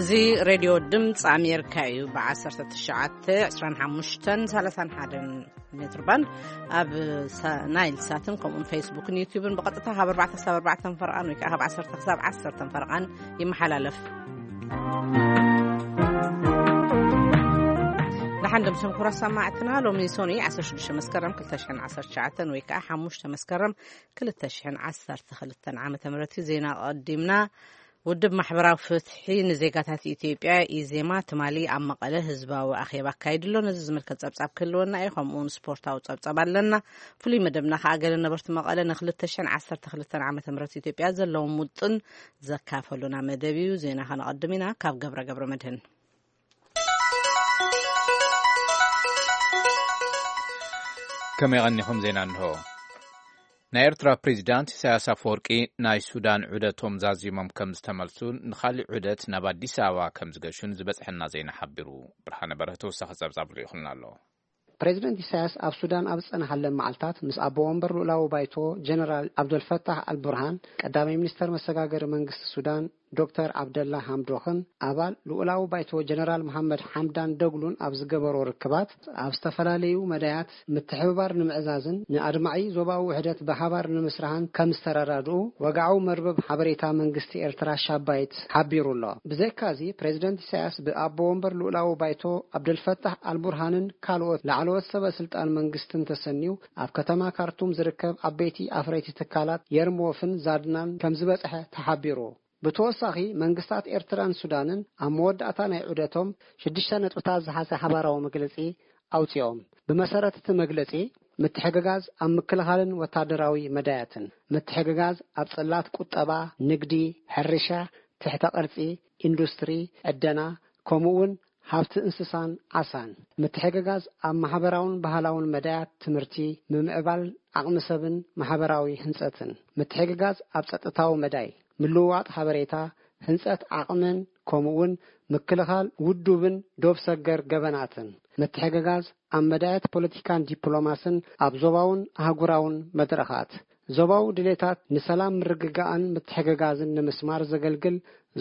እዚ ሬድዮ ድምፂ ኣሜሪካ እዩ። ብ19፣ 25፣ 31 ሜትር ባንድ ኣብ ሳ- ናይል ሳትን ከምኡን ፌስቡክን ዩቲዩብን ብቐጥታ ካብ ኣርባዕተ ክሳብ ኣርባዕተ ፈርቓን ወይ ከዓ ካብ ዓሰርተ ክሳብ ዓሰርተ ፈርቓን ይመሓላለፍ። ደሓን ደምሰም ኩራ ሰማዕትና፣ ሎሚ ሶኒ 16 መስከረም 2019 ወይ ከዓ 5 መስከረም 2012 ዓመተ ምህረት እዩ። ዜና ቀዲምና። ውድብ ማሕበራዊ ፍትሒ ንዜጋታት ኢትዮጵያ፣ ኢዜማ፣ ትማሊ ኣብ መቐለ ህዝባዊ ኣኼባ ኣካይዱ ኣሎ። ነዚ ዝምልከት ጸብጻብ ክህልወና እዩ። ከምኡ እውን ስፖርታዊ ጸብጻብ ኣለና። ፍሉይ መደብና ከኣ ገለ ነበርቲ መቐለ ን2012 ዓመተ ምህረት ኢትዮጵያ ዘለዎም ውጥን ዘካፈሉና መደብ እዩ። ዜና ከነቐድም ኢና። ካብ ገብረ ገብረ መድህን። ከመይ ቀኒኹም? ዜና እንሆ። ናይ ኤርትራ ፕሬዚዳንት ኢሳያስ ኣፈወርቂ ናይ ሱዳን ዑደቶም ዛዚሞም ከም ዝተመልሱን ንኻሊእ ዑደት ናብ ኣዲስ ኣበባ ከም ዝገሹን ዝበጽሐና ዜና ሓቢሩ። ብርሃነ በርሀ ተወሳኺ ጸብጻብ ልኢኹልና ኣሎ። ፕሬዚደንት ኢሳያስ ኣብ ሱዳን ኣብ ዝጸንሓለን መዓልታት ምስ ኣቦ ወንበር ልኡላዊ ባይቶ ጀነራል ኣብደልፈታሕ ኣልቡርሃን፣ ቀዳማይ ሚኒስተር መሰጋገሪ መንግስቲ ሱዳን ዶክተር ዓብደላ ሃምዶኽን ኣባል ልኡላዊ ባይቶ ጀነራል መሓመድ ሓምዳን ደግሉን ኣብ ዝገበሮ ርክባት፣ ኣብ ዝተፈላለዩ መዳያት ምትሕብባር ንምዕዛዝን ንኣድማዒ ዞባዊ ውህደት ብሓባር ንምስራሕን ከም ዝተረዳድኡ ወግዓዊ መርበብ ሓበሬታ መንግስቲ ኤርትራ ሻባይት ሓቢሩ ኣሎ። ብዘይካዚ፣ ፕሬዚደንት ኢሳያስ ብኣቦ ወንበር ልኡላዊ ባይቶ ኣብደልፈታሕ ኣልቡርሃንን ካልኦት ላዕለዎት ሰበ ስልጣን መንግስትን ተሰንዩ ኣብ ከተማ ካርቱም ዝርከብ ዓበይቲ ኣፍረይቲ ትካላት የርሞፍን ዛድናን ከም ዝበጽሐ ተሓቢሩ። ብተወሳኺ፣ መንግስታት ኤርትራን ሱዳንን ኣብ መወዳእታ ናይ ዑደቶም ሽዱሽተ ነጥብታት ዝሓዘ ሓባራዊ መግለጺ ኣውጺኦም። ብመሰረት እቲ መግለጺ፣ ምትሕግጋዝ ኣብ ምክልኻልን ወታደራዊ መዳያትን፣ ምትሕግጋዝ ኣብ ጽላት ቁጠባ፣ ንግዲ፣ ሕርሻ፣ ትሕተ ቅርጺ፣ ኢንዱስትሪ፣ ዕደና፣ ከምኡ እውን ሃብቲ እንስሳን ዓሳን፣ ምትሕግጋዝ ኣብ ማሕበራውን ባህላውን መዳያት፣ ትምህርቲ፣ ምምዕባል ዓቕሚ ሰብን ማሕበራዊ ህንጸትን፣ ምትሕግጋዝ ኣብ ጸጥታዊ መዳይ፣ ምልውዋጥ ሓበሬታ፣ ህንጸት ዓቕምን ከምኡ እውን ምክልኻል ውዱብን ዶብ ሰገር ገበናትን፣ ምትሕግጋዝ ኣብ መዳያት ፖለቲካን ዲፕሎማስን ኣብ ዞባውን ኣህጉራውን መድረኻት፣ ዞባዊ ድሌታት ንሰላም ምርግጋእን ምትሕግጋዝን ንምስማር ዘገልግል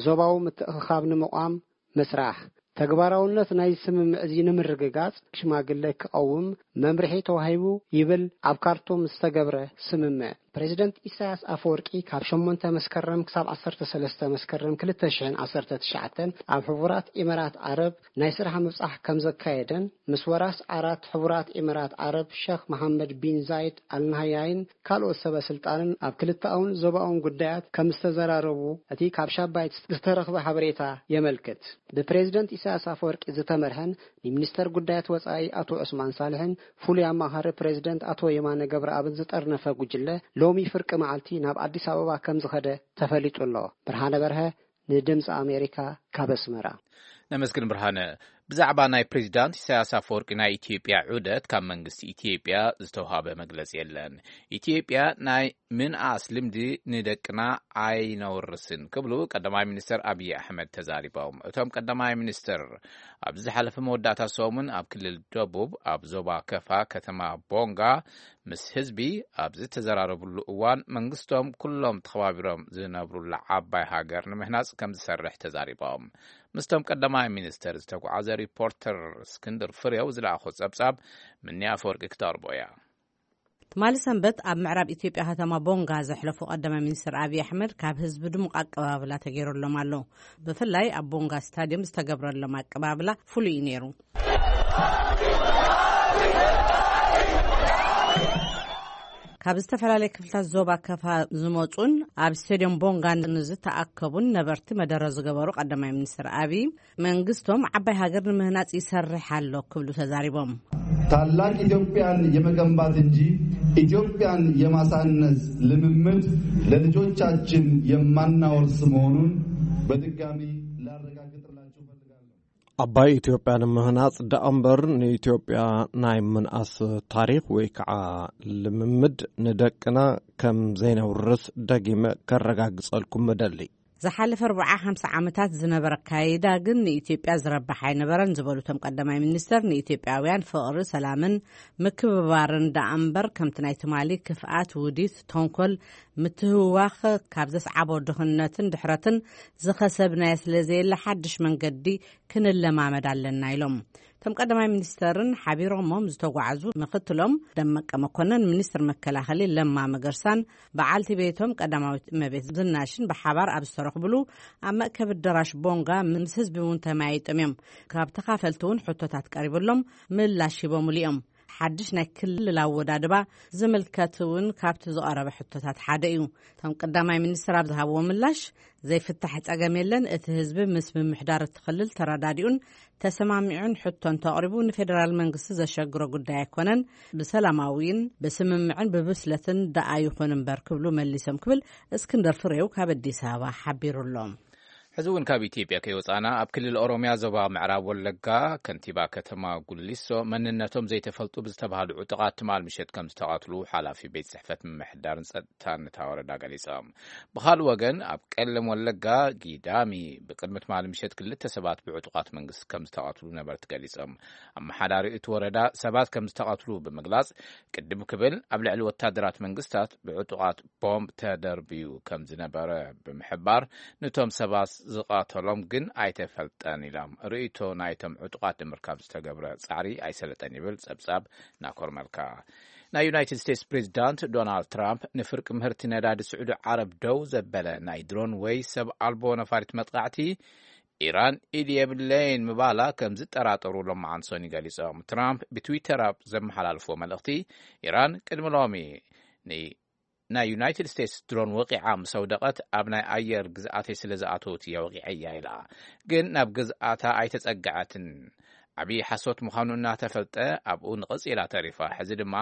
ዞባዊ ምትእኽኻብ ንምቋም ምስራሕ፣ ተግባራውነት ናይዚ ስምምዕ እዚ ንምርግጋጽ ሽማግለ ክቐውም መምርሒ ተዋሂቡ ይብል ኣብ ካርቱም ዝተገብረ ስምምዕ። ፕሬዚደንት ኢሳያስ ኣፈወርቂ ካብ ሸሞንተ መስከረም ክሳብ ዓሰርተ ሰለስተ መስከረም ክልተ ሽሕን ዓሰርተ ትሽዓተን ኣብ ሕቡራት ኢመራት ዓረብ ናይ ስራሕ ምብጻሕ ከም ዘካየደን ምስ ወራስ ዓራት ሕቡራት ኢመራት ዓረብ ሸኽ መሓመድ ቢን ዛይድ ኣልናህያይን ካልኦት ሰበ ስልጣንን ኣብ ክልተኣውን ዞባውን ጉዳያት ከም ዝተዘራረቡ እቲ ካብ ሻባይት ዝተረኽበ ሓበሬታ የመልክት። ብፕሬዚደንት ኢሳያስ ኣፈወርቂ ዝተመርሐን ንሚኒስተር ጉዳያት ወጻኢ ኣቶ ዑስማን ሳልሕን ፍሉይ ኣማኻሪ ፕሬዚደንት ኣቶ የማነ ገብረኣብን ዝጠርነፈ ጉጅለ ሎሚ ፍርቂ መዓልቲ ናብ ኣዲስ ኣበባ ከም ዝኸደ ተፈሊጡ ኣሎ። ብርሃነ በርሀ ንድምፂ ኣሜሪካ ካብ ኣስመራ። ነመስግን ብርሃነ። ብዛዕባ ናይ ፕሬዚዳንት ኢሳያስ ኣፈወርቂ ናይ ኢትዮጵያ ዑደት ካብ መንግስቲ ኢትዮጵያ ዝተውሃበ መግለጺ የለን። ኢትዮጵያ ናይ ምንኣስ ልምዲ ንደቅና ኣይነውርስን ክብሉ ቀዳማይ ሚኒስተር ኣብይ ኣሕመድ ተዛሪቦም። እቶም ቀዳማይ ሚኒስተር ኣብዚ ዝሓለፈ መወዳእታ ሰሙን ኣብ ክልል ደቡብ ኣብ ዞባ ከፋ ከተማ ቦንጋ ምስ ህዝቢ ኣብ ዝተዘራረብሉ እዋን መንግስቶም ኩሎም ተኸባቢሮም ዝነብሩላ ዓባይ ሃገር ንምህናጽ ከም ዝሰርሕ ተዛሪቦም። ምስቶም ቀዳማይ ሚኒስተር ዝተጓዓዘ ሪፖርተር እስክንድር ፍሬው ዝለኣኾ ጸብጻብ ምንያ ኣፈወርቂ ክተቕርቦ እያ። ትማሊ ሰንበት ኣብ ምዕራብ ኢትዮጵያ ከተማ ቦንጋ ዘሕለፉ ቀዳማይ ሚኒስትር ኣብይ ኣሕመድ ካብ ህዝቢ ድሙቕ ኣቀባብላ ተገይሩሎም ኣሎ። ብፍላይ ኣብ ቦንጋ ስታዲየም ዝተገብረሎም ኣቀባብላ ፍሉይ እዩ ነይሩ። ካብ ዝተፈላለየ ክፍልታት ዞባ ከፋ ዝመጹን ኣብ ስቴዲየም ቦንጋ ንዝተኣከቡን ነበርቲ መደረ ዝገበሩ ቀዳማይ ሚኒስትር ኣብይ መንግስቶም ዓባይ ሃገር ንምህናጽ ይሰርሕ ኣሎ ክብሉ ተዛሪቦም። ታላቅ ኢትዮጵያን የመገንባት እንጂ ኢትዮጵያን የማሳነስ ልምምድ ለልጆቻችን የማናወርስ መሆኑን በድጋሚ ላረጋግጥላችሁ እፈልጋለሁ። ዓባይ ኢትዮጵያ ንምህናጽ ደኣ እምበር ንኢትዮጵያ ናይ ምንኣስ ታሪኽ ወይ ከዓ ልምምድ ንደቅና ከም ዘይነውርስ ደጊመ ከረጋግጸልኩም እደሊ። ዝሓለፈ ኣርብዓ ሓምሳ ዓመታት ዝነበረ ኣካይዳ ግን ንኢትዮጵያ ዝረብሕ ኣይነበረን ዝበሉ እቶም ቀዳማይ ሚኒስተር፣ ንኢትዮጵያውያን ፍቕሪ፣ ሰላምን ምክብባርን ደኣ እምበር ከምቲ ናይ ትማሊ ክፍኣት፣ ውዲት፣ ተንኮል፣ ምትህዋኽ ካብ ዘስዓቦ ድኽነትን ድሕረትን ዝኸሰብናዮ ስለ ዘየለ ሓድሽ መንገዲ ክንለማመድ ኣለና ኢሎም። እቶም ቀዳማይ ሚኒስተርን ሓቢሮሞም ዝተጓዓዙ ምክትሎም ደመቀ መኮነን፣ ሚኒስትር መከላኸሊ ለማ መገርሳን በዓልቲ ቤቶም ቀዳማዊት እመቤት ዝናሽን ብሓባር ኣብ ዝተረኽብሉ ኣብ መእከቢ ኣዳራሽ ቦንጋ ምስ ህዝቢ እውን ተመያይጦም እዮም። ካብ ተኻፈልቲ እውን ሕቶታት ቀሪብሎም ምላሽ ሂቦምሉ እዮም። ሓድሽ ናይ ክልል ኣወዳድባ ዝምልከት እውን ካብቲ ዝቐረበ ሕቶታት ሓደ እዩ። እቶም ቀዳማይ ሚኒስትር ኣብ ዝሃብዎ ምላሽ፣ ዘይፍታሕ ጸገም የለን፣ እቲ ህዝቢ ምስ ምምሕዳር እቲ ክልል ተረዳዲኡን ተሰማሚዑን ሕቶ እንተቕሪቡ ንፌደራል መንግስቲ ዘሸግሮ ጉዳይ ኣይኮነን፣ ብሰላማዊን ብስምምዕን ብብስለትን ደኣ ይኹን እምበር ክብሉ መሊሶም ክብል እስክንደር ፍሬው ካብ ኣዲስ ኣበባ ሓቢሩ ኣሎ። ሕዚ እውን ካብ ኢትዮጵያ ከይወፃና ኣብ ክልል ኦሮሚያ ዞባ ምዕራብ ወለጋ ከንቲባ ከተማ ጉሊሶ መንነቶም ዘይተፈልጡ ብዝተባሃሉ ዕጡቓት ትማል ምሸት ከም ዝተቐትሉ ሓላፊ ቤት ጽሕፈት ምምሕዳርን ጸጥታን እታ ወረዳ ገሊጾም። ብኻልእ ወገን ኣብ ቀለም ወለጋ ጊዳሚ ብቅድሚ ትማል ምሸት ክልተ ሰባት ብዕጡቓት መንግስቲ ከም ዝተቐትሉ ነበርቲ ገሊጾም። ኣመሓዳሪ እቲ ወረዳ ሰባት ከም ዝተቐትሉ ብምግላጽ ቅድም ክብል ኣብ ልዕሊ ወታደራት መንግስታት ብዕጡቓት ቦምብ ተደርብዩ ከም ዝነበረ ብምሕባር፣ ነቶም ሰባት ዝቐተሎም ግን ኣይተፈልጠን ኢሎም። ርእይቶ ናይቶም ዕጡቓት ንምርካብ ዝተገብረ ጻዕሪ ኣይሰለጠን ይብል ጸብጻብ ናኮር መልካ። ናይ ዩናይትድ ስቴትስ ፕሬዚዳንት ዶናልድ ትራምፕ ንፍርቂ ምህርቲ ነዳዲ ስዑዲ ዓረብ ደው ዘበለ ናይ ድሮን ወይ ሰብ ኣልቦ ነፋሪት መጥቃዕቲ ኢራን ኢድ የብለይን ምባላ ከም ዝጠራጠሩ ሎማዓንቲ ሰኑይ ገሊጾም። ትራምፕ ብትዊተር ኣብ ዘመሓላልፎ መልእኽቲ፣ ኢራን ቅድሚ ሎሚ ን ናይ ዩናይትድ ስቴትስ ድሮን ወቒዓ ምስ ኣውደቐት ኣብ ናይ ኣየር ግዝኣተይ ስለ ዝኣተወት እያ ወቒዐያ ኢላ። ግን ናብ ግዝኣታ ኣይተጸግዐትን። ዓብዪ ሓሶት ምዃኑ እናተፈልጠ ኣብኡ ንቐጽ ኢላ ተሪፋ። ሕዚ ድማ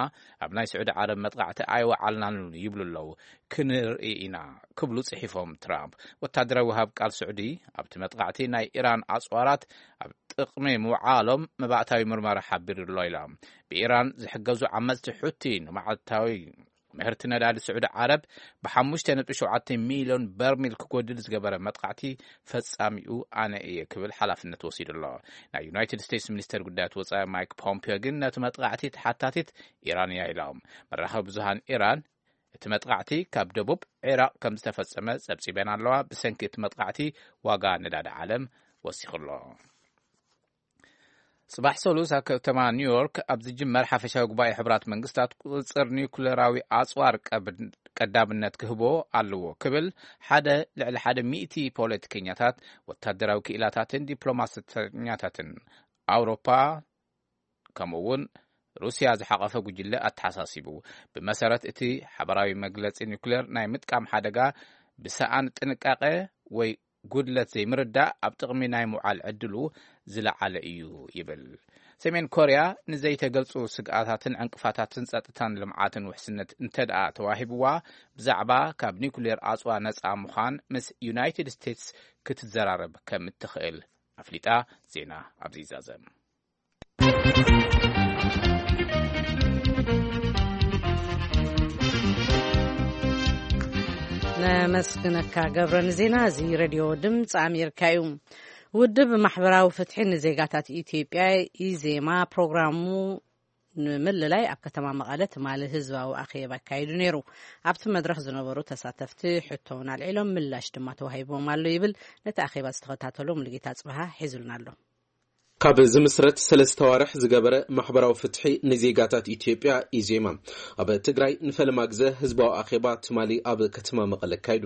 ኣብ ናይ ስዑዲ ዓረብ መጥቃዕቲ ኣይወዓልናን ይብሉ ኣለዉ። ክንርኢ ኢና ክብሉ ጽሒፎም ትራምፕ። ወታደራዊ ወሃብ ቃል ስዑዲ ኣብቲ መጥቃዕቲ ናይ ኢራን ኣጽዋራት ኣብ ጥቕሚ ምውዓሎም መባእታዊ ምርመራ ሓቢሩ ኣሎ ኢሎም። ብኢራን ዝሕገዙ ዓመጽቲ ሑቲ ንመዓልታዊ ምህርቲ ነዳዲ ስዑዲ ዓረብ ብ5.7 ሚልዮን በርሚል ክጎድል ዝገበረ መጥቃዕቲ ፈጻሚኡ ኣነ እየ ክብል ሓላፍነት ወሲዱ ኣሎ። ናይ ዩናይትድ ስቴትስ ሚኒስተር ጉዳያት ወጻኢ ማይክ ፖምፒዮ ግን ነቲ መጥቃዕቲ ተሓታቲት ኢራን እያ ኢሎም። መራኸቢ ብዙሃን ኢራን እቲ መጥቃዕቲ ካብ ደቡብ ዒራቕ ከም ዝተፈጸመ ጸብጺበን ኣለዋ። ብሰንኪ እቲ መጥቃዕቲ ዋጋ ነዳዲ ዓለም ወሲኹ ኣሎ። ጽባሕ ሰሉስ ኣብ ከተማ ኒውዮርክ ኣብ ዝጅመር ሓፈሻዊ ጉባኤ ሕቡራት መንግስታት ቁጽጽር ኒውክሌራዊ ኣጽዋር ቀብ-፣ ቀዳምነት ክህቦ ኣለዎ ክብል ሓደ ልዕሊ ሓደ ሚእቲ ፖለቲከኛታት፣ ወታደራዊ ክኢላታትን ዲፕሎማሰኛታትን ኣውሮፓ ከምኡ እውን ሩስያ ዝሓቐፈ ጉጅለ ኣተሓሳሲቡ። ብመሰረት እቲ ሓበራዊ መግለጺ ኒውክሌር ናይ ምጥቃም ሓደጋ ብሰኣን ጥንቃቐ ወይ ጉድለት ዘይምርዳእ ኣብ ጥቕሚ ናይ ምውዓል ዕድሉ ዝለዓለ እዩ ይብል። ሰሜን ኮርያ ንዘይተገልጹ ስግኣታትን ዕንቅፋታትን ጸጥታን ልምዓትን ውሕስነት እንተ ደኣ ተዋሂብዋ፣ ብዛዕባ ካብ ኒውክሌር ኣጽዋ ነጻ ምዃን ምስ ዩናይትድ ስቴትስ ክትዘራረብ ከም እትኽእል ኣፍሊጣ። ዜና ኣብዚ ይዛዘም። ነመስግነካ ገብረ ንዜና እዚ። ሬድዮ ድምፂ ኣሜሪካ እዩ። ውድብ ማሕበራዊ ፍትሒ ንዜጋታት ኢትዮጵያ፣ ኢዜማ፣ ፕሮግራሙ ንምልላይ ኣብ ከተማ መቐለ ትማሊ ህዝባዊ ኣኼባ ኣካይዱ ነይሩ። ኣብቲ መድረኽ ዝነበሩ ተሳተፍቲ ሕቶ እውን ኣልዒሎም፣ ምላሽ ድማ ተዋሂቦም ኣሎ ይብል ነቲ ኣኼባ ዝተኸታተሉ ሙሉጌታ ጽብሃ ሒዙልና ኣሎ። ካብ ዝምስረት ሰለስተ ዋርሕ ዝገበረ ማሕበራዊ ፍትሒ ንዜጋታት ኢትዮጵያ፣ ኢዜማ፣ ኣብ ትግራይ ንፈለማ ግዘ ህዝባዊ ኣኼባ ትማሊ ኣብ ከተማ መቐለ ኣካይዱ።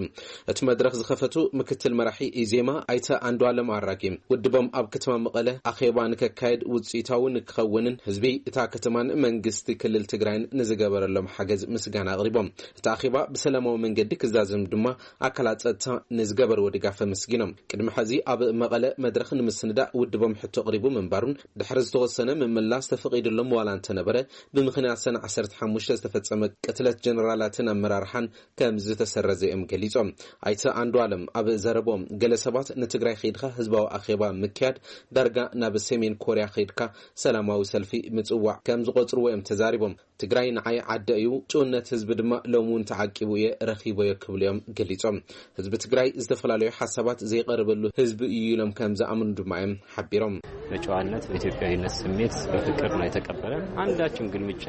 እቲ መድረኽ ዝኸፈቱ ምክትል መራሒ ኢዜማ ኣይተ ኣንዱኣለም ኣራጌ፣ ውድቦም ኣብ ከተማ መቐለ ኣኼባ ንከካየድ ውፅኢታዊ ንክኸውንን ህዝቢ እታ ከተማን መንግስቲ ክልል ትግራይን ንዝገበረሎም ሓገዝ ምስጋና ኣቕሪቦም። እቲ ኣኼባ ብሰላማዊ መንገዲ ክዛዘም ድማ ኣካላት ጸጥታ ንዝገበርዎ ድጋፍ ኣመስጊኖም። ቅድሚ ሕዚ ኣብ መቐለ መድረኽ ንምስንዳእ ውድቦም ሕቶ ኣቕሪቡ ብምንባሩን ድሕሪ ዝተወሰነ ምምላስ ተፈቒድሎም ዋላ እንተነበረ፣ ብምኽንያት ሰነ ዓሰርተ ሓሙሽተ ዝተፈጸመ ቅትለት ጀነራላትን ኣመራርሓን ከም ዝተሰረዘ እዮም ገሊጾም። ኣይተ ኣንዱ ኣለም ኣብ ዘረቦም፣ ገለ ሰባት ንትግራይ ከይድካ ህዝባዊ ኣኼባ ምክያድ ዳርጋ ናብ ሰሜን ኮርያ ከይድካ ሰላማዊ ሰልፊ ምጽዋዕ ከም ዝቆጽርዎ እዮም ተዛሪቦም። ትግራይ ንዓይ ዓደ እዩ፣ ጭውነት ህዝቢ ድማ ሎም እውን ተዓቂቡ እየ ረኺቦዮ ክብሉ እዮም ገሊጾም። ህዝቢ ትግራይ ዝተፈላለዩ ሓሳባት ዘይቀርበሉ ህዝቢ እዩ ኢሎም ከም ዝኣምኑ ድማ እዮም ሓቢሮም። በጨዋነት በኢትዮጵያዊነት ስሜት በፍቅር ነው የተቀበለን። አንዳችም ግልምጫ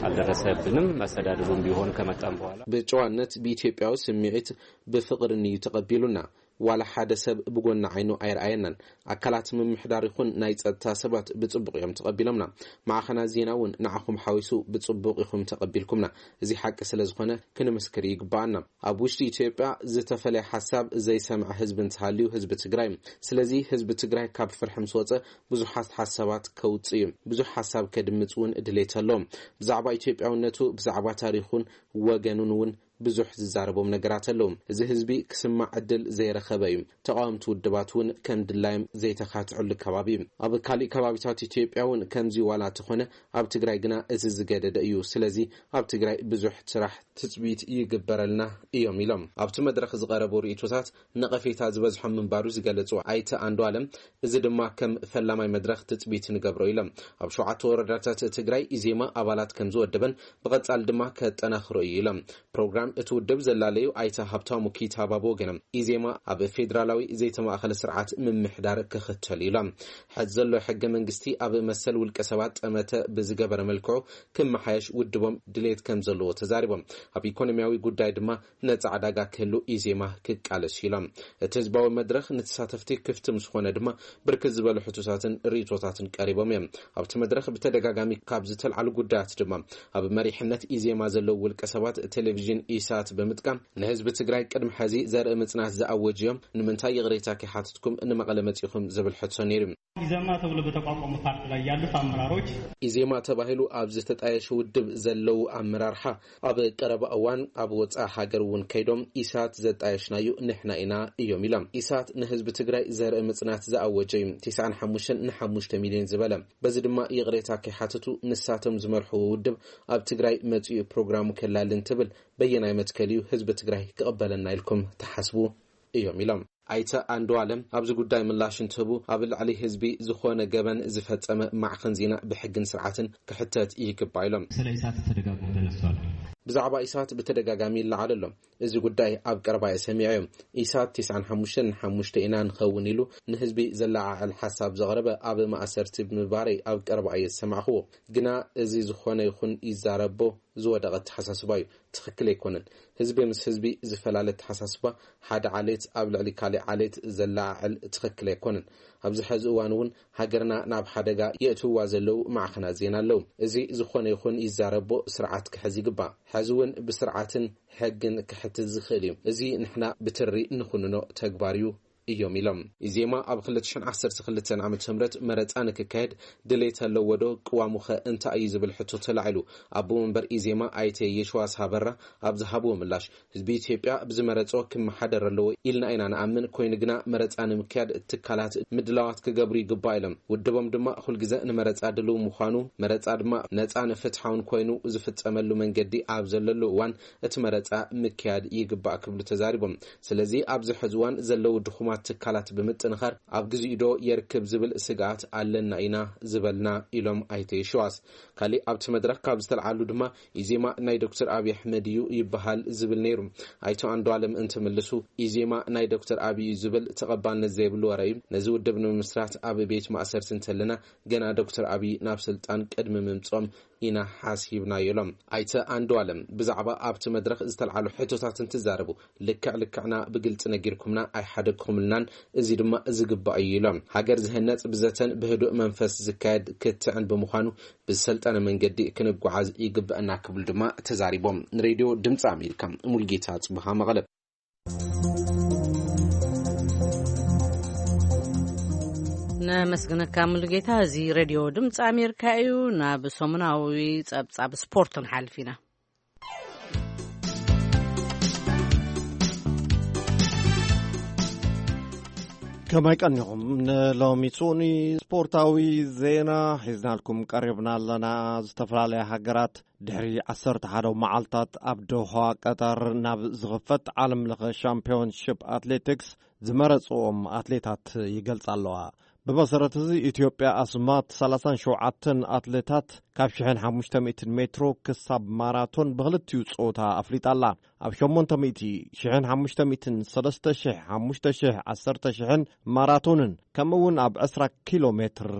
አልደረሰብንም። መስተዳድሩም ቢሆን ከመጣም በኋላ ብጨዋነት ብኢትዮጵያዊ ስምዒት ብፍቕርን እዩ ተቐቢሉና። ዋላ ሓደ ሰብ ብጎኒ ዓይኑ ኣይረኣየናን። ኣካላት ምምሕዳር ይኹን ናይ ጸጥታ ሰባት ብጽቡቕ እዮም ተቐቢሎምና። ማዕኸናት ዜና እውን ንዓኹም ሓዊሱ ብጽቡቕ ኢኹም ተቐቢልኩምና። እዚ ሓቂ ስለ ዝኾነ ክንምስክር ይግባኣና። ኣብ ውሽጢ ኢትዮጵያ ዝተፈለየ ሓሳብ ዘይሰምዐ ህዝቢ እንተሃልዩ ህዝቢ ትግራይ። ስለዚ ህዝቢ ትግራይ ካብ ፍርሒ ምስ ወፀ ብዙሓት ሓሳባት ከውፅእ እዩ። ብዙሕ ሓሳብ ከድምፅ እውን ድሌት ኣለዎም። ብዛዕባ ኢትዮጵያውነቱ፣ ብዛዕባ ታሪኹን ወገኑን እውን ብዙሕ ዝዛረቦም ነገራት ኣለዉ። እዚ ህዝቢ ክስማዕ ዕድል ዘይረኸበ እዩ። ተቓወምቲ ውድባት እውን ከም ድላዮም ዘይተኻትዕሉ ከባቢ እዩ። ኣብ ካሊእ ከባቢታት ኢትዮጵያ እውን ከምዚ ዋላ ተኾነ፣ ኣብ ትግራይ ግና እዚ ዝገደደ እዩ። ስለዚ ኣብ ትግራይ ብዙሕ ስራሕ ትፅቢት ይግበረልና እዮም ኢሎም። ኣብቲ መድረኽ ዝቐረቡ ርእይቶታት ነቐፌታ ዝበዝሖም ምንባሩ ዝገለጹ ኣይተ ኣንዱ ኣለም፣ እዚ ድማ ከም ፈላማይ መድረኽ ትፅቢት ንገብሮ ኢሎም። ኣብ ሸውዓተ ወረዳታት ትግራይ ኢዜማ ኣባላት ከም ዝወደበን ብቐጻል ድማ ከጠናኽሮ እዩ ኢሎም። ፕሮግራም እቲ ውድብ ዘላለዩ ኣይተ ሃብታሙ ኪታባ ብወገኖም፣ ኢዜማ ኣብ ፌዴራላዊ ዘይተማእኸለ ስርዓት ምምሕዳር ክኽተል ኢሎም። ሕዚ ዘሎ ሕገ መንግስቲ ኣብ መሰል ውልቀ ሰባት ጠመተ ብዝገበረ መልክዑ ክመሓየሽ ውድቦም ድሌት ከም ዘለዎ ተዛሪቦም። ኣብ ኢኮኖሚያዊ ጉዳይ ድማ ነጻ ዕዳጋ ክህሉ ኢዜማ ክቃለስ ኢሎም። እቲ ህዝባዊ መድረኽ ንተሳተፍቲ ክፍቲ ምስ ኾነ ድማ ብርክት ዝበሉ ሕቶታትን ርእይቶታትን ቀሪቦም እዮም። ኣብቲ መድረኽ ብተደጋጋሚ ካብ ዝተልዓሉ ጉዳያት ድማ ኣብ መሪሕነት ኢዜማ ዘለዉ ውልቀ ሰባት ቴሌቪዥን ኢሳት ብምጥቃም ንህዝቢ ትግራይ ቅድሚ ሕዚ ዘርኢ ምጽናት ዝኣወጁ እዮም። ንምንታይ ይቕሬታ ከይሓትትኩም ንመቐለ መጺኹም ዝብል ሕቶ ነይሩ። ኢዜማ ተብሎ በተቋቋመ ፓርቲ ላይ ያሉት አመራሮች ኢዜማ ተባሂሉ ኣብ ዝተጣየሸ ውድብ ዘለዉ ኣመራርሓ ኣብ ቀረባ እዋን ኣብ ወፃኢ ሃገር እውን ከይዶም ኢሳት ዘጣየሽናዩ ንሕና ኢና እዮም ኢሎም። ኢሳት ንህዝቢ ትግራይ ዘርኢ ምፅናት ዝኣወጀ እዩ። ተስዓን ሓሙሽተን ንሓሙሽተ ሚልዮን ዝበለ። በዚ ድማ ይቕሬታ ከይሓተቱ ንሳቶም ዝመርሕዎ ውድብ ኣብ ትግራይ መፂኡ ፕሮግራሙ ከላሊ እንትብል በየናይ መትከል እዩ ህዝቢ ትግራይ ክቕበለና ኢልኩም ትሓስቡ እዮም ኢሎም። ኣይተ ኣንዱ ኣለም ኣብዚ ጉዳይ ምላሽ እንትህቡ ኣብ ልዕሊ ህዝቢ ዝኾነ ገበን ዝፈጸመ ማዕኸን ዜና ብሕግን ስርዓትን ክሕተት ይግባ ኢሎም። ስለ ኢሳት ተደጋግሞ ተነስቷል። ብዛዕባ ኢሳት ብተደጋጋሚ ይለዓል ኣሎ። እዚ ጉዳይ ኣብ ቀረባ እየ ሰሚዐዮ። ኢሳት ተስዓን ሓሙሽተን ሓሙሽተ ኢና ንኸውን ኢሉ ንህዝቢ ዘለዓዕል ሓሳብ ዘቕረበ ኣብ ማእሰርቲ ብምባረይ ኣብ ቀረባ እየ ዝሰማዕኽዎ። ግና እዚ ዝኾነ ይኹን ይዛረቦ ዝወደቐ ኣተሓሳስባ እዩ። ትኽክል ኣይኮነን። ህዝቢ ምስ ህዝቢ ዝፈላለ ኣተሓሳስባ፣ ሓደ ዓሌት ኣብ ልዕሊ ካሊእ ዓሌት ዘለዓዕል ትኽክል ኣይኮነን። ኣብዚ ሐዚ እዋን እውን ሃገርና ናብ ሓደጋ የእትውዋ ዘለዉ ማዕኸናት ዜና ኣለዉ። እዚ ዝኾነ ይኹን ይዛረቦ ስርዓት ክሕዝ ይግባእ። ሐዚ እውን ብስርዓትን ሕግን ክሕትት ዝኽእል እዩ። እዚ ንሕና ብትሪ ንኹንኖ ተግባር እዩ እዮም ኢሎም። ኢዜማ ኣብ ክልተ ሽሕን ዓሰርተ ክልተን ዓመተ ምህረት መረፃ ንክካየድ ድሌት ኣለዎ ዶ? ቅዋሙኸ እንታይ እዩ ዝብል ሕቶ ተላዒሉ። ኣቦ መንበር ኢዜማ ኣይተ የሽዋስ ሃበራ ኣብ ዝሃብዎ ምላሽ፣ ህዝቢ ኢትዮጵያ ብዝመረጾ ክመሓደር ኣለዎ ኢልና ኢና ንኣምን። ኮይኑ ግና መረፃ ንምክያድ ትካላት ምድላዋት ክገብሩ ይግባእ ኢሎም። ውድቦም ድማ ኩልግዘ ንመረፃ ድልው ምዃኑ፣ መረፃ ድማ ነፃን ፍትሓውን ኮይኑ ዝፍፀመሉ መንገዲ ኣብ ዘለሉ እዋን እቲ መረፃ ምክያድ ይግባእ ክብሉ ተዛሪቦም። ስለዚ ኣብዚ ሕዚ እዋን ዘለዉ ድኹማት ትካላት ብምጥንኻር ኣብ ግዚኡ ዶ የርክብ ዝብል ስግኣት ኣለና ኢና ዝበልና ኢሎም ኣይተ የሽዋስ። ካሊእ ኣብቲ መድረኽ ካብ ዝተልዓሉ ድማ ኢዜማ ናይ ዶክተር ኣብይ ኣሕመድ እዩ ይበሃል ዝብል ነይሩ። ኣይተ ኣንዱ ኣለም እንትምልሱ ኢዜማ ናይ ዶክተር ኣብይ እዩ ዝብል ተቐባልነት ዘይብሉ ወረ እዩ። ነዚ ውድብ ንምምስራት ኣብ ቤት ማእሰርቲ እንተለና ገና ዶክተር ኣብይ ናብ ስልጣን ቅድሚ ምምጾም ኢና ሓሲብናዮ ኢሎም። ኣይተ ኣንዱ ኣለም ብዛዕባ ኣብቲ መድረኽ ዝተልዓሉ ሕቶታት እንትዛረቡ ልክዕ ልክዕና ብግልፂ ነጊርኩምና ኣይሓደግኩምልናን፣ እዚ ድማ ዝግባእ እዩ ኢሎም። ሃገር ዝህነፅ ብዘተን ብህዱእ መንፈስ ዝካየድ ክትዕን ብምዃኑ ብዝሰልጠነ መንገዲ ክንጓዓዝ ይግበአና ክብሉ ድማ ተዛሪቦም። ንሬድዮ ድምፂ ኣሜሪካ ሙልጌታ ፅቡሃ መቐለ። ነመስግነካ ሙሉጌታ። እዚ ሬድዮ ድምፂ ኣሜሪካ እዩ። ናብ ሰሙናዊ ፀብፃብ ስፖርት ንሓልፍ ኢና። ከመይ ቀኒኹም? ንሎሚ ሱኒ ስፖርታዊ ዜና ሒዝናልኩም ቀሪብና ኣለና። ዝተፈላለያ ሃገራት ድሕሪ ዓሰርተ ሓደ መዓልታት ኣብ ዶሃ ቀጠር ናብ ዝኽፈት ዓለም ለኸ ሻምፒዮንሺፕ ኣትሌቲክስ ዝመረጽዎም ኣትሌታት ይገልጻ ኣለዋ። ብመሰረት እዚ፣ ኢትዮጵያ ኣስማት ሰላሳን ሸውዓተን ኣትሌታት ካብ ሽሕን ሓሙሽተ ሚእትን ሜትሮ ክሳብ ማራቶን ብኽልቲኡ ጾታ ኣፍሊጣ ኣላ። ኣብ ሸሞንተ ሚእቲ፣ ሽሕን ሓሙሽተ ሚእትን፣ ሰለስተ ሽሕ፣ ሓሙሽተ ሽሕ፣ ዓሰርተ ሽሕን ማራቶንን ከምኡ እውን ኣብ ዕስራ ኪሎ ሜትር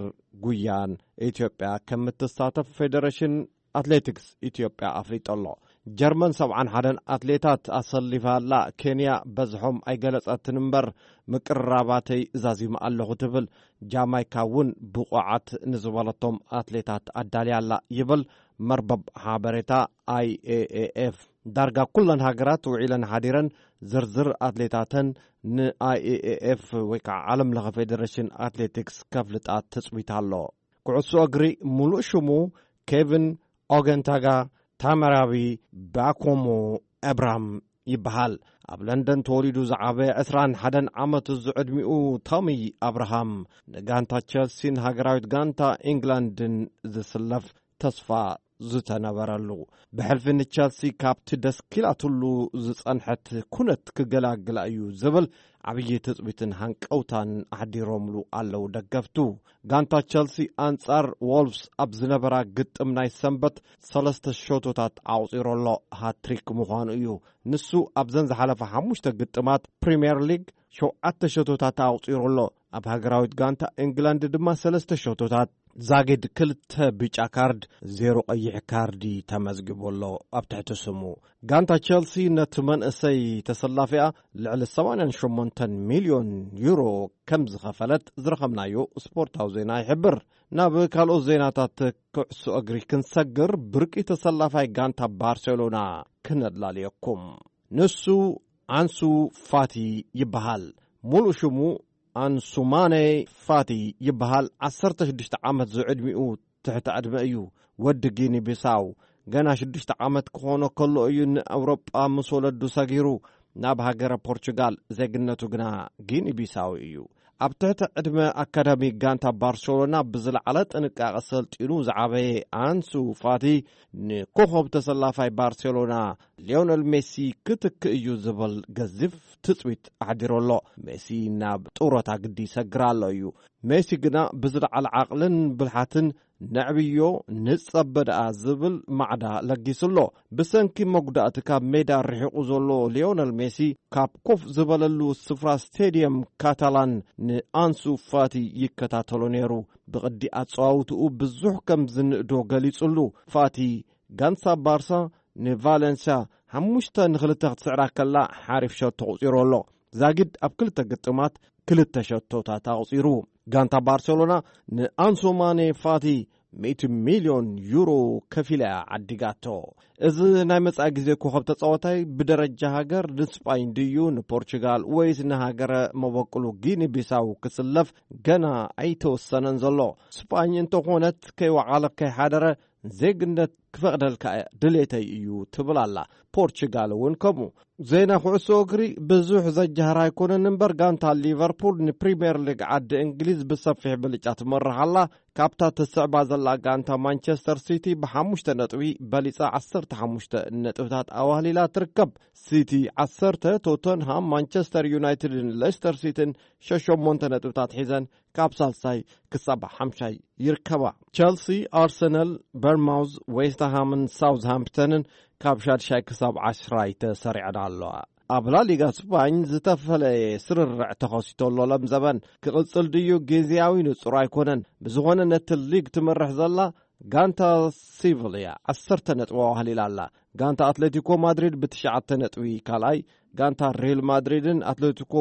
ጉያን ኢትዮጵያ ከም እትሳተፍ ፌደሬሽን ኣትሌቲክስ ኢትዮጵያ ኣፍሊጡ ኣሎ። ጀርመን ሰብዓን ሓደን ኣትሌታት ኣሰሊፋ ኣላ። ኬንያ በዝሖም ኣይገለጸትን እምበር፣ ምቅርራባተይ እዛዚመ ኣለኹ ትብል። ጃማይካ እውን ብቑዓት ንዝበለቶም ኣትሌታት ኣዳልያ ኣላ ይብል መርበብ ሓበሬታ ኣይ ኤ ኤ ኤፍ። ዳርጋ ኩለን ሃገራት ውዒለን ሓዲረን ዝርዝር ኣትሌታተን ን ኣይ ኤ ኤ ኤፍ ወይ ከዓ ዓለም ለኸ ፌዴሬሽን ኣትሌቲክስ ከፍልጣ ትጽቢት ኣሎ። ኩዕሶ እግሪ፣ ሙሉእ ሽሙ ኬቪን ኦገንታጋ ታመራቢ ባኮሞ እብራም ይበሃል። ኣብ ለንደን ተወሊዱ ዝዓበየ ዕስራን ሓደን ዓመት ዝዕድሚኡ ቶሚ ኣብርሃም፣ ንጋንታ ቸልሲን ሃገራዊት ጋንታ ኢንግላንድን ዝስለፍ ተስፋ ዝተነበረሉ፣ ብሕልፊ ንቸልሲ ካብቲ ደስኪላትሉ ዝጸንሐት ኩነት ክገላግላ እዩ ዝብል ዓብዪ ትጽቢትን ሃንቀውታን ኣሕዲሮምሉ ኣለዉ ደገፍቱ። ጋንታ ቸልሲ ኣንጻር ዎልፍስ ኣብ ዝነበራ ግጥም ናይ ሰንበት ሰለስተ ሸቶታት ኣቑጺሩ ኣሎ። ሃትሪክ ምዃኑ እዩ። ንሱ ኣብዘን ዝሓለፈ ሓሙሽተ ግጥማት ፕሪምየር ሊግ ሸውዓተ ሸቶታት ኣቑጺሩ ኣሎ። ኣብ ሃገራዊት ጋንታ ኢንግላንድ ድማ ሰለስተ ሸቶታት፣ ዛጊድ ክልተ ብጫ ካርድ፣ ዜሮ ቀይሕ ካርዲ ተመዝጊቡ ኣሎ ኣብ ትሕቲ ስሙ። ጋንታ ቸልሲ ነቲ መንእሰይ ተሰላፊኣ ልዕሊ ሰማንያን ሸሞንተን ሚልዮን ዩሮ ከም ዝኸፈለት ዝረኸብናዮ ስፖርታዊ ዜና ይሕብር። ናብ ካልኦት ዜናታት ኩዕሶ እግሪ ክንሰግር፣ ብርቂ ተሰላፋይ ጋንታ ባርሴሎና ክነድላልየኩም። ንሱ ኣንሱ ፋቲ ይበሃል። ሙሉእ ሽሙ ኣንሱማኔ ፋቲ ይበሃል። ዓሰርተ ሽዱሽተ ዓመት ዝዕድሚኡ ትሕቲ ዕድመ እዩ። ወዲ ጊኒ ቢሳው፣ ገና ሽዱሽተ ዓመት ክኾኖ ከሎ እዩ ንኣውሮጳ ምስ ወለዱ ሰጊሩ ናብ ሃገረ ፖርቹጋል። ዜግነቱ ግና ጊኒ ቢሳው እዩ። ኣብ ትሕቲ ዕድመ ኣካዳሚ ጋንታ ባርሴሎና ብዝለዓለ ጥንቃቐ ሰልጢኑ ዝዓበየ ኣንሱ ፋቲ፣ ንኮኸብ ተሰላፋይ ባርሴሎና ሊዮነል ሜሲ ክትክእ እዩ ዝብል ገዚፍ ትጽቢት ኣሕዲሩ ኣሎ። ሜሲ ናብ ጡረታ ግዲ ይሰግር ኣሎ እዩ። ሜሲ ግና ብዝለዓለ ዓቕልን ብልሓትን ነዕብዮ፣ ንጸበ ደኣ ዝብል ማዕዳ ለጊሱ ኣሎ። ብሰንኪ መጉዳእቲ ካብ ሜዳ ርሒቑ ዘሎ ሊዮነል ሜሲ፣ ካብ ኮፍ ዝበለሉ ስፍራ ስቴድየም ካታላን ንኣንሱ ፋቲ ይከታተሎ ነይሩ። ብቕዲ ኣጸዋውትኡ ብዙሕ ከም ዝንእዶ ገሊጹሉ። ፋቲ፣ ጋንታ ባርሳ ንቫለንስያ ሓሙሽተ ንኽልተ ክትስዕራ ከላ፣ ሓሪፍ ሸቶ ኣቑጺሩ ኣሎ። ዛጊድ ኣብ ክልተ ግጥማት ክልተ ሸቶታት ኣቑጺሩ። ጋንታ ባርሴሎና ንኣንሱ ማኔ ፋቲ ሚእቲ ሚልዮን ዩሮ ከፊላ እያ ዓዲጋቶ። እዚ ናይ መጻኢ ግዜ ኮኸብ ተጻዋታይ ብደረጃ ሃገር ንስጳኝ ድዩ ንፖርቹጋል ወይስ ንሃገረ መበቅሉ ጊኒ ቢሳው ክስለፍ ገና ኣይተወሰነን ዘሎ። ስጳኝ እንተኾነት ከይወዓለ ከይሓደረ ዜግነት ክፈቕደልካ ድሌተይ እዩ ትብል ኣላ። ፖርቹጋል እውን ከምኡ። ዜና ኩዕሶ እግሪ ብዙሕ ዘጃህር ኣይኮነን እምበር፣ ጋንታ ሊቨርፑል ንፕሪምየር ሊግ ዓዲ እንግሊዝ ብሰፊሕ ብልጫ ትመርሕ ኣላ። ካብታ ትስዕባ ዘላ ጋንታ ማንቸስተር ሲቲ ብሓሙሽተ ነጥቢ በሊጻ ዓሰርተ ሓሙሽተ ነጥብታት ኣዋህሊላ ትርከብ። ሲቲ ዓሰርተ፣ ቶተንሃም፣ ማንቸስተር ዩናይትድን ሌስተር ሲቲን ሸሸሞንተ ነጥብታት ሒዘን ካብ ሳልሳይ ክሳብ ሓምሻይ ይርከባ። ቸልሲ፣ ኣርሰናል፣ በርማውዝ፣ ዌስትሃምን ሳውዝሃምፕተንን ካብ ሻድሻይ ክሳብ ዓስራይ ተሰሪዐን ኣለዋ። ኣብ ላሊጋ ስፓኝ ዝተፈለየ ስርርዕ ተኸሲቶ ኣሎ። ለምዘበን ክቕጽል ድዩ ግዝያዊ ንጹር ኣይኮነን። ብዝኾነ ነቲ ሊግ ትመርሕ ዘላ ጋንታ ሲቪል እያ። ዓሰርተ ነጥቢ ኣዋህሊላ ኣላ። ጋንታ ኣትሌቲኮ ማድሪድ ብትሽዓተ ነጥቢ ካልኣይ፣ ጋንታ ሪል ማድሪድን ኣትሌቲኮ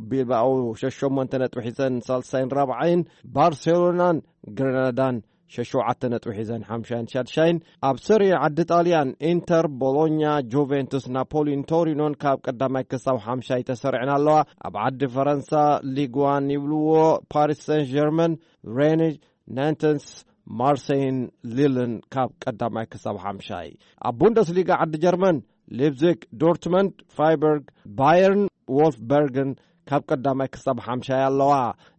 ቢልባኦ ሸሸሞንተ ነጥቢ ሒዘን ሳልሳይን ራብዓይን፣ ባርሴሎናን ግረናዳን ሸሸውዓተ ነጥቢ ሒዘን ሓምሻይን ሻድሻይን። ኣብ ሰሪ ዓዲ ጣልያን ኢንተር፣ ቦሎኛ፣ ጁቬንቱስ፣ ናፖሊን ቶሪኖን ካብ ቀዳማይ ክሳብ ሓምሻይ ተሰሪዐን ኣለዋ። ኣብ ዓዲ ፈረንሳ ሊግዋን ይብልዎ፣ ፓሪስ ሰን ጀርመን፣ ሬንጅ፣ ናንተንስ፣ ማርሴይን ሊልን ካብ ቀዳማይ ክሳብ ሓምሻይ። ኣብ ቡንደስሊጋ ዓዲ ጀርመን፣ ሊፕዚግ፣ ዶርትመንድ፣ ፍራይበርግ፣ ባየርን፣ ዎልፍበርግን ካብ ቀዳማይ ክሳብ ሓምሻይ ኣለዋ።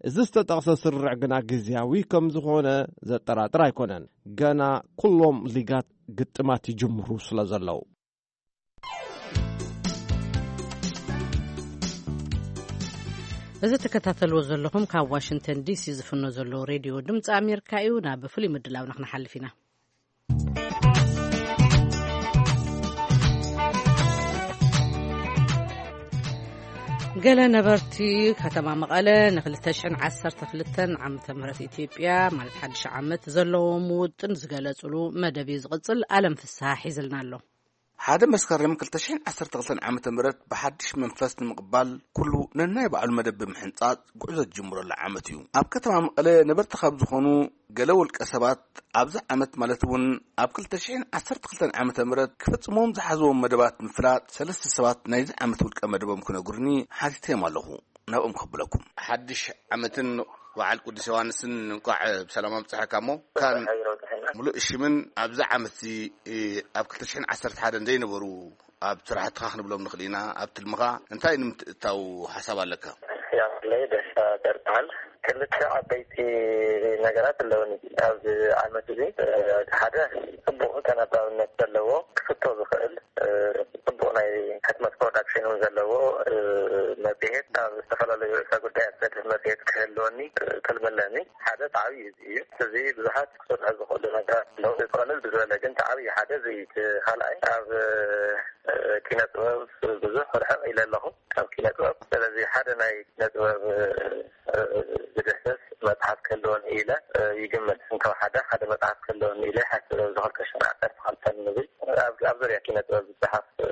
እዚ ዝተጠቕሰ ስርርዕ ግና ግዝያዊ ከም ዝኾነ ዘጠራጥር ኣይኮነን። ገና ኩሎም ሊጋት ግጥማት ይጅምሩ ስለ ዘለዉ። እዚ ትከታተልዎ ዘለኹም ካብ ዋሽንግተን ዲሲ ዝፍኖ ዘሎ ሬድዮ ድምፂ ኣሜሪካ እዩ። ናብ ፍሉይ ምድላውና ክንሓልፍ ኢና። ገለ ነበርቲ ከተማ መቐለ ን ክልተ ሽሕን ዓሰርተ ክልተን ዓመተ ምህረት ኢትዮጵያ፣ ማለት ሓድሽ ዓመት፣ ዘለዎም ውጥን ዝገለጹሉ መደብ እዩ ዝቕጽል። ኣለም ፍስሃ ሒዝልና ኣሎ። ሓደ መስከረም ክልተ ሽሕን ዓሰርተ ክልተን ዓመተ ምህረት ብሓድሽ መንፈስ ንምቕባል፣ ኩሉ ነናይ ባዕሉ መደብ ብምሕንጻጽ ጉዕዞ ዝጅምረሉ ዓመት እዩ። ኣብ ከተማ መቐለ ነበርቲ ካብ ዝኾኑ ገለ ውልቀ ሰባት፣ ኣብዚ ዓመት ማለት እውን ኣብ ክልተ ሽሕን ዓሰርተ ክልተን ዓመተ ምህረት ክፍጽሞም ዝሓዝዎም መደባት ምፍላጥ፣ ሰለስተ ሰባት ናይዚ ዓመት ውልቀ መደቦም ክነግሩኒ ሓቲተዮም ኣለኹ። ናብኦም ከብለኩም። ሓድሽ ዓመትን በዓል ቅዱስ ዮሃንስን እንቋዕ ብሰላም ኣብጽሐካ። እሞ ካን ሙሉእ ሽምን ኣብዚ ዓመት እዚ፣ እ፣ ኣብ ክልተ ሽሕን ዓሰርተ ሓደን ዘይነበሩ ኣብ ስራሕትኻ ክንብሎም ንኽእል ኢና፣ ኣብ ትልምኻ እንታይ ንምትእታው ሓሳብ ኣለካ? ያለይ ደስታ ደርባል። ክልተ ዓበይቲ ነገራት ኣለውኒ ኣብዚ ዓመት እዚ። እ፣ ሓደ ጽቡቕ ተነባብነት ዘለዎ ክፍቶ ዝኽእል፣ እ፣ ጽቡቕ ናይ ሕትመት ፕሮዳክሽን እውን ዘለዎ፣ እ፣ መጽሔት፣ ኣብ ዝተፈላለዩ ርእሰ ጉዳያት ዘድህብ መጽሔት ክህልወኒ፣ እ፣ ትልሚ ኣለኒ። ሓደ እቲ ዓብዪ እዚ እዩ። እዚ ብዙሓት ክሰርሑ ዝኽእሉ ነገራት ኣለዉ። ብቐልል ብዝበለ ግን እቲ ዓብዪ ሓደ እዚ እዩ። እቲ ካልኣይ ኣብ፣ እ፣ ኪነ ጥበብ ብዙሕ ርሕቕ ኢለ ኣለኹ ካብ ኪነ ጥበብ። ስለዚ ሓደ ናይ ኪነ ጥበብ፣ እ፣ እ፣ ዝድህስስ መጽሓፍ ክህልወኒ ኢለ፣ እ፣ ይግምት። እንተወሓደ ሓደ መጽሓፍ ክህልወኒ ኢለ ይሓስብ። ኣብዚ ክልተ ሽሕን ዓሰርተ ክልተን ንብል ኣብ፣ ኣብ ዙርያ ኪነ ጥበብ ዝጸሓፍ፣ እ፣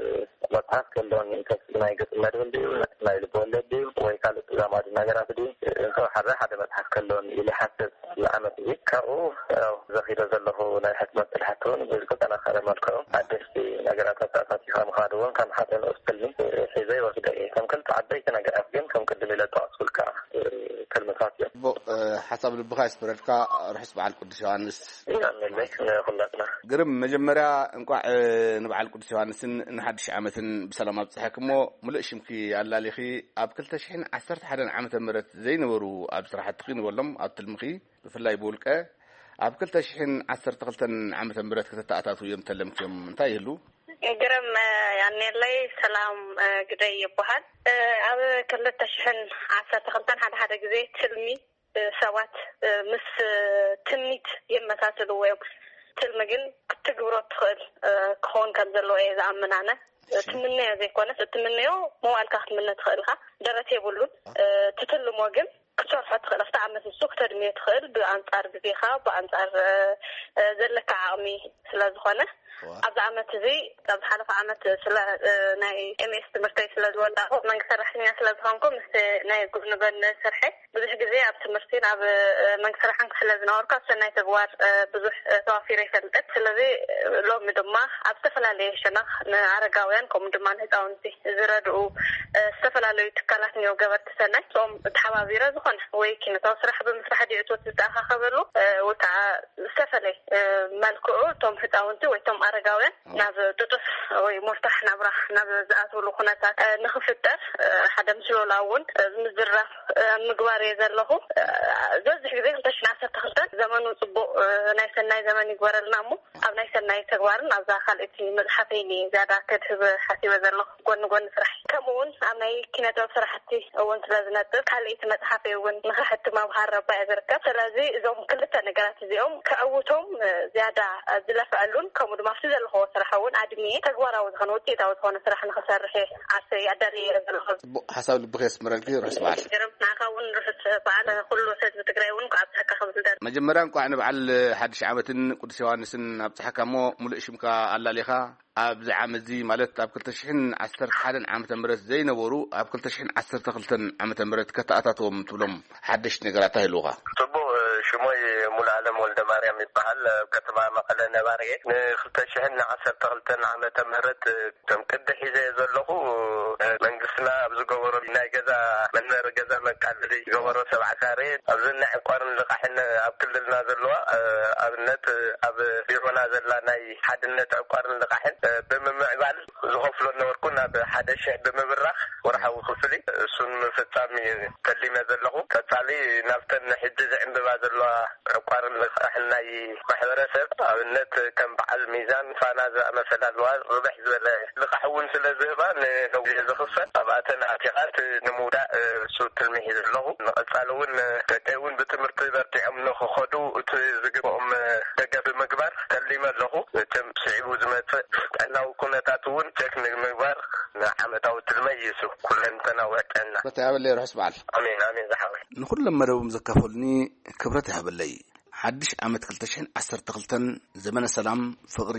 መጽሓፍ ክህልወኒ፣ እንተ ናይ ገጽ መድብል ድዩ፣ ናይ ልብ ወለድ ድዩ፣ ወይ ካልእ ተዛማዲ ነገራት ድዩ፣ እንተወሓደ ሓደ መጽሓፍ ክህልወኒ ኢለ ይሓስብ። ኣብዚ ዓመት እዚ ካብኡ፣ ያው፣ ዘኺዶ ዘለኹ ናይ ሕትመት ስራሕቲ እውን ብዝተጠናኸረ መልክዑ ሓደሽቲ ነገራት ኣተኣታቲኻ ምኻድ እውን ከም ሓደ ንኡስ ትልሚ ሒዘ ይወስዶ እየ። ከም ክልተ ዓበይቲ ነገራት ግን ከም ቅድም ኢለ ዝጠቐስኩልካ ትልምታት እዮም። ጽቡቕ፣ እ፣ ሓሳብ ልብኻ ይስመረልካ። ርሑስ በዓል ቅዱስ ዮሃንስ። ኣሜን። ንኹላትና። ግርም፣ መጀመርያ እንቋዕ፣ እ፣ ንበዓል ቅዱስ ዮሃንስን ንሓድሽ ዓመትን ብሰላም ኣብጽሐኪ። እሞ ምሉእ ሽምኪ ኣላሊኺ፣ ኣብ ክልተ ሽሕን ዓሰርተ ሓደን ዓመተ ምህረት ዘይነበሩ ኣብ ስራሕትኺ ንበሎም፣ ኣብ ትልምኺ፣ ብፍላይ ብውልቀ፣ ኣብ ክልተ ሽሕን ዓሰርተ ክልተን ዓመተ ምህረት ከተተኣታትውዮም ተለምክዮም እንታይ ይህሉ? ግርም፣ እ፣ ያኔለይ ሰላም፣ እ፣ ግደይ ይበሃል። እ፣ ኣብ ክልተ ሽሕን ዓሰርተ ክልተን ሓደ ሓደ ግዜ ትልሚ፣ እ፣ ሰባት፣ እ፣ ምስ፣ እ፣ ትምኒት የመሳስልዎ እዮም። ትልሚ ግን ክትግብሮ እትኽእል፣ እ፣ ክኸውን ከም ዘለዎ እየ ዝኣምን ኣነ። ትምነዮ ዘይኮነስ እትምነዮ መዋእልካ ክትምነ ትኽእል ኢኻ። ደረት የብሉን። እ፣ ትትልሞ ግን ክትሰርሖ ትኽእል፣ ኣብቲ ዓመት ንሱ ክተድምዮ ትኽእል፣ ብኣንጻር ግዜኻ፣ ብኣንጻር፣ እ፣ እ፣ ዘለካ ዓቕሚ ስለ ዝኾነ፣ ዋ። ኣብዚ ዓመት እዚ፣ ኣብ ዝሓለፈ ዓመት ስለ፣ እ፣ ናይ ኤም ኤስ ትምህርተይ ስለ ዝወዳእኩ፣ መንግስቲ ሰራሕተኛ ስለ ዝኾንኩ፣ ምስ ናይ ጎኒ ጎኒ ስርሐይ ብዙሕ ግዜ ኣብ ትምህርቲን ኣብ፣ እ፣ መንግስቲ ስራሕን ስለ ዝነበርኩ፣ ኣብ ሰናይ ተግባር፣ እ፣ ብዙሕ፣ እ፣ ተዋፊረ ይፈልጥ። ስለዚ፣ እ፣ ሎሚ ድማ ኣብ ዝተፈላለየ ሸነኽ ንኣረጋውያን፣ ከምኡ ድማ ንህፃውንቲ ዝረድኡ፣ እ፣ ዝተፈላለዩ ትካላት እኒኦ፣ ገበርቲ ሰናይ፣ እቶም ተሓባቢረ ዝኾነ ወይ ኪነታዊ ስራሕ ብምስራሕ ድዩ እቶት ዝተኣኻኸበሉ፣ እ፣ ወይ ከዓ ዝተፈለየ፣ እ፣ መልክዑ እቶም ህፃውንቲ ወይ እቶም ኣረጋውያን ናብ ጥጡፍ ወይ ሙርታሕ ናብራ ናብ ዝኣትውሉ ኩነታት፣ እ፣ ንኽፍጠር፣ እ፣ ሓደ ምስ ሎላ እውን፣ እ፣ ምዝራብ፣ እ፣ ምግባር እየ ዘለኹ። እ፣ ዝበዝሕ ግዜ ክልተ ሽሕን ዓሰርተ ክልተን ዘመኑ ጽቡቕ፣ እ፣ ናይ ሰናይ ዘመን ይግበረልና እሞ፣ ኣብ ናይ ሰናይ ተግባርን ኣብዛ ካልኣይቲ መጽሓፈይን እየ ዝያዳ ከድህብ ሓሲበ ዘለኹ፣ ጎኒ ጎኒ ስራሕ። ከምኡ እውን ኣብ ናይ ኪነ ጥበብ ስራሕቲ እውን ስለ ዝነጥፍ፣ ካልኣይቲ መጽሓፈይ እውን ንኽሕትም ኣብ ሃረባ እየ ዝርከብ። ስለዚ እዞም ክልተ ነገራት እዚኦም ከዕውቶም፣ እ፣ ዝያዳ፣ እ፣ ዝለፍዐሉን፣ ከምኡ ድማ ኣብቲ ዘለኽዎ ስራሕ እውን ኣድምየ ተግባራዊ ዝኾነ ውፅኢታዊ ዝኾነ ስራሕ ንኽሰርሕ እየ ዓርሰይ ኣዳልየ እየ ዘለኹ። ጽቡቕ ሓሳብ ልብኺ የስምረልኪ። ርሑስ በዓል። ገርም፣ ንዓኻ እውን ርሑስ በዓል፣ ኩሉ ህዝቢ ትግራይ እውን እንኳዕ ኣብፀሐካ ክብል ደር- መጀመርያ እንኳዕ ንበዓል ሓድሽ ዓመትን ቅዱስ ዮሃንስን ኣብፀሐካ። እሞ ሙሉእ ሽምካ ኣላሊኻ፣ ኣብዚ ዓመት እዚ፣ ማለት ኣብ ክልተ ሽሕን ዓሰርተ ሓደን ዓመተ ምህረት ዘይነበሩ ኣብ ክልተ ሽሕን ዓሰርተ ክልተን ዓመተ ምህረት ከተኣታትዎም ትብሎም ሓደሽቲ ነገራት ኣይህልውኻ? ጽቡቕ፣ ሽሞይ ሙሉኣለም ወልደ ማርያም ይበሃል። ኣብ ከተማ መቐለ ነባሪ እየ። ንክልተ ሽሕን ዓሰርተ ክልተን ዓመተ ምህረት ከም ቅዲ ሒዘ ዘለኹ፣ መንግስትና ኣብ ዝገበሮ ናይ ገዛ መንበሪ ገዛ መቃለሊ ዝገበሮ ሰብዓ ካሬ ኣብዚ ናይ ዕቋርን ልቓሕን ኣብ ክልልና ዘለዋ፣ ኣብነት ኣብ ቢሮና ዘላ ናይ ሓድነት ዕቋርን ልቓሕን ብምምዕባል ዝኸፍሎ ነበርኩ ናብ ሓደ ሽሕ ብምብራኽ ወርሓዊ ክፍሊ እሱን ምፍጻም እዩ ተሊመ ዘለኹ። ቀጻሊ ናብተን ሕጂ ዝዕንብባ ዘለዋ ዕቋርን ልቓሕን ናይ ማሕበረሰብ፣ ኣብነት ከም በዓል ሚዛን፣ ፋና ዝኣመሰላ ኣለዋ። ርብሕ ዝበለ ልቓሕ እውን ስለ ዝህባ ንነዊሕ ዝኽፈል ኣብኣተን ኣቲኻት ንምውዳእ እሱ ትልሚ ሒዘ ኣለኹ። ንቐጻሊ እውን ደቀይ እውን ብትምህርቲ በርቲዖም ንኽኸዱ እቲ ዝግብኦም ደገፍ ብምግባር ተሊመ ኣለኹ። መቸም ስዒቡ ዝመጽእ ጥዕናዊ ኩነታት እውን ቸክ ንምግባር ንዓመታዊ ትልመ ይሱ ኩለንተናዊ ጥዕና። በታ ያበለይ ርሑስ በዓል። ኣሜን፣ ኣሜን ዝሓወይ። ንኹሎም መደቦም ዘካፈሉኒ ክብረት ይሃበለይ። ሓድሽ ዓመት ክልተ ሽሕን ዓሰርተ ክልተን ዘመነ ሰላም፣ ፍቕሪ፣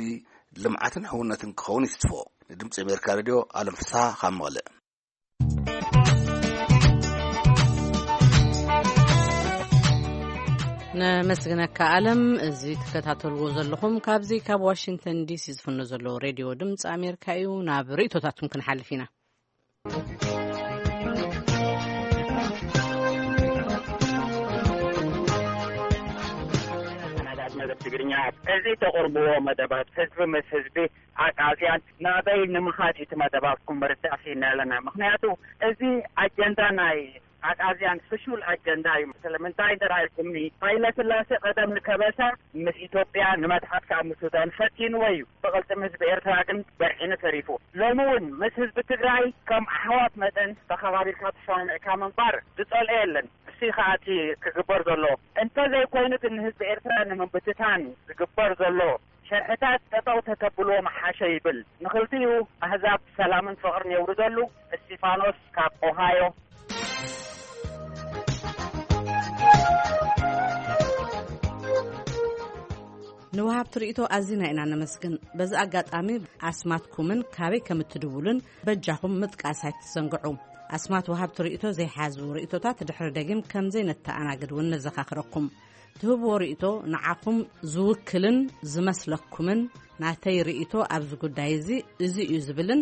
ልምዓትን ሕውነትን ክኸውን ይትስፎ። ንድምፂ ኣሜሪካ ሬድዮ ኣለም ፍስሃ ካብ መቐለ። ነመስግነካ ኣለም። እዚ ትከታተልዎ ዘለኹም ካብዚ ካብ ዋሽንግተን ዲሲ ዝፍኖ ዘሎ ሬድዮ ድምፂ ኣሜሪካ እዩ። ናብ ርእቶታትኩም ክንሓልፍ ኢና። መደብ ትግርኛ። እዚ ተቕርብዎ መደባት ህዝቢ ምስ ህዝቢ፣ ኣቃዝያን ናበይ ንምኻድ እቲ መደባትኩም ርዳእ ሲና ኣለና። ምኽንያቱ እዚ ኣጀንዳ ናይ ኣቃዝያን ፍሹል ኣጀንዳ እዩ። ስለምንታይ እንተ ኢልኩምኒ፣ ሃይለ ስላሴ ቀደም ንከበሳ ምስ ኢትዮጵያ፣ ንመትሓት ከኣ ምስ ሱዳን ፈቲንዎ እዩ። ብቕልጽም ህዝቢ ኤርትራ ግን በርዒኑ ተሪፉ። ሎሚ እውን ምስ ህዝቢ ትግራይ ከም ኣሕዋት መጠን ተኸባቢርካ ተሰማሚዕካ ምንባር ዝጸልኦ የለን። እሱ ከኣ እቲ ክግበር ዘሎ። እንተዘይኮይኑ ግን ንህዝቢ ኤርትራ ንምብትታን ዝግበር ዘሎ ሸርሕታት ጠጠው ተተብልዎ ምሓሸ ይብል። ንኽልቲኡ ኣህዛብ ሰላምን ፍቕርን የውርደሉ። እስቲፋኖስ ካብ ኦሃዮ። ንወሃብቲ ርእይቶ ኣዚና ኢና ነመስግን። በዚ ኣጋጣሚ ኣስማትኩምን ካበይ ከም እትድውሉን በጃኹም ምጥቃስ ኣይትዘንግዑ። ኣስማት ወሃብቲ ርእይቶ ዘይሓዙ ርእይቶታት ድሕሪ ደጊም ከም ዘይነተኣናግድ እውን ነዘኻኽረኩም። ትህብዎ ርእይቶ ንዓኹም ዝውክልን ዝመስለኩምን፣ ናተይ ርእይቶ ኣብዚ ጉዳይ እዚ እዚ እዩ ዝብልን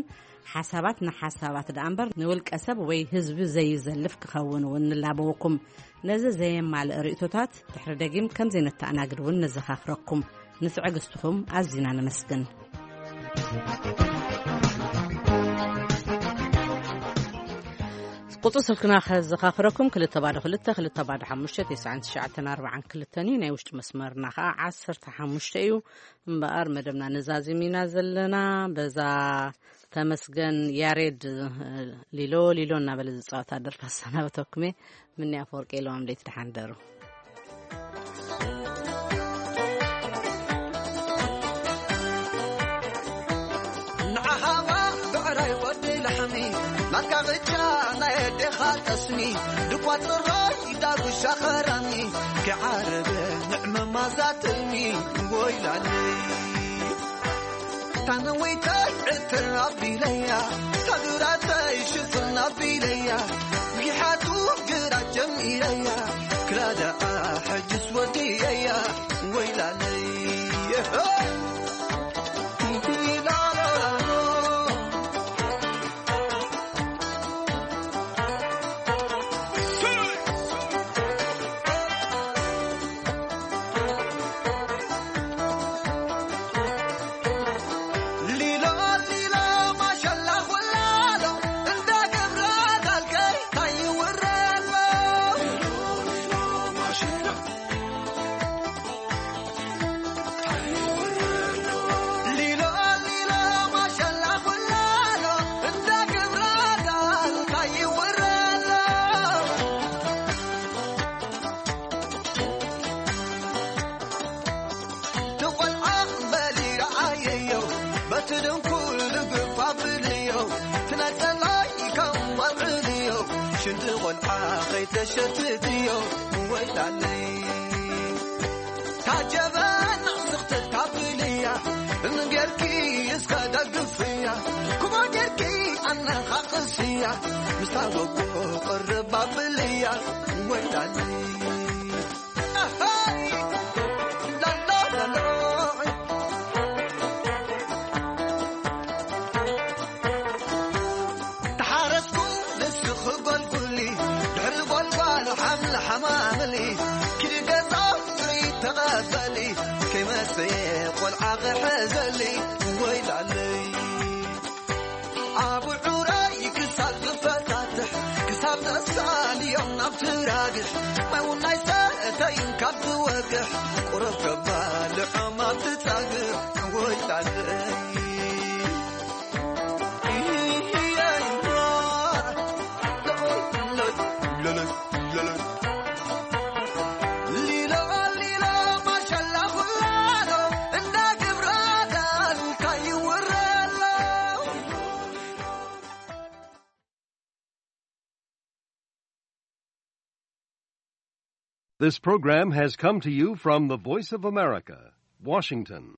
ሓሳባት ንሓሳባት ደኣ እምበር ንውልቀ ሰብ ወይ ህዝቢ ዘይዘልፍ ክኸውን እውን ንላበወኩም። ነዚ ዘየማልእ ርእይቶታት ድሕሪ ደጊም ከም ዘይነተኣናግድ እውን ነዘኻኽረኩም። ንትዕግስትኹም ኣዚና ነመስግን። ቁጽሪ ስልክና ከዘኻኽረኩም፣ ክልተ ባዶ ክልተ፣ ክልተ ባዶ ሓሙሽተ፣ ተስዓን ትሽዓተን ኣርባዓን ክልተን እዩ። ናይ ውሽጢ መስመርና ኸዓ ዓሰርተ ሓሙሽተ እዩ። እምበኣር መደብና ነዛዚም ኢና ዘለና። በዛ ተመስገን ያሬድ፣ እ፣ ሊሎ ሊሎ እናበለ ዝጻወታ ደርፊ ኣሰናበተኩም እየ። ምንያ ኣፈወርቂ ኢሎም ለይቲ ደሓን ደሩ። ንዓኻ ብዕራይ ወዲ ላሕሚ፣ ናትካ ብቻ ናይ ኣዴኻ ጠስሚ፣ ድቋ ጽራይ ዳጉሻ ኸራሚ፣ ክዓረበ ንዕመማ ዛትልሚ፣ ወይላለይ። ታነወይተይ ዕትር ኣቢለያ፣ ታግራተይ ሽፍን ኣቢለያ፣ ጊሓቱ ግራት ጀሚረያ፣ ክላደኣ ሕጅስ ወዲየያ፣ ወይላለይ። ትቆልዓ በሊ ረዓየዮ፣ በቲ ድንኩል ልግፋ ብልዮ፣ ትነጸላይ ከም ወብዕልዮ፣ ሽንቲ ቆልዓ ከይተሸትትዮ፣ ወይላለይ። ታጀበና ስኽትታ ብልያ፣ እንጌርኪ እስከ ደግፍያ፣ ኩማ ጌርኪ ኣነኻቕስያ፣ ምስታ በጎ ቅርብ ኣብልያ፣ ወይላለይ። ተሓረስኩ ንስኺ ጎልጉሊ፣ ድሕሪ ጎልጓሉ ሓምሊ ሓማምሊ፣ ኪዲ ገዛ ፍሪ ተቐበሊ፣ ከይመጽእ ቆልዓ ክሕዘሊ፣ ወይላለይ። ኣብ ዑራ ትራግሕ ማይ እውን ኣይሰተይን ካብ ዝወግሕ ቁሩብ ከባልዖም ኣብ ትጻግዕ ወይ ጣልይ This program has come to you from the Voice of America, Washington.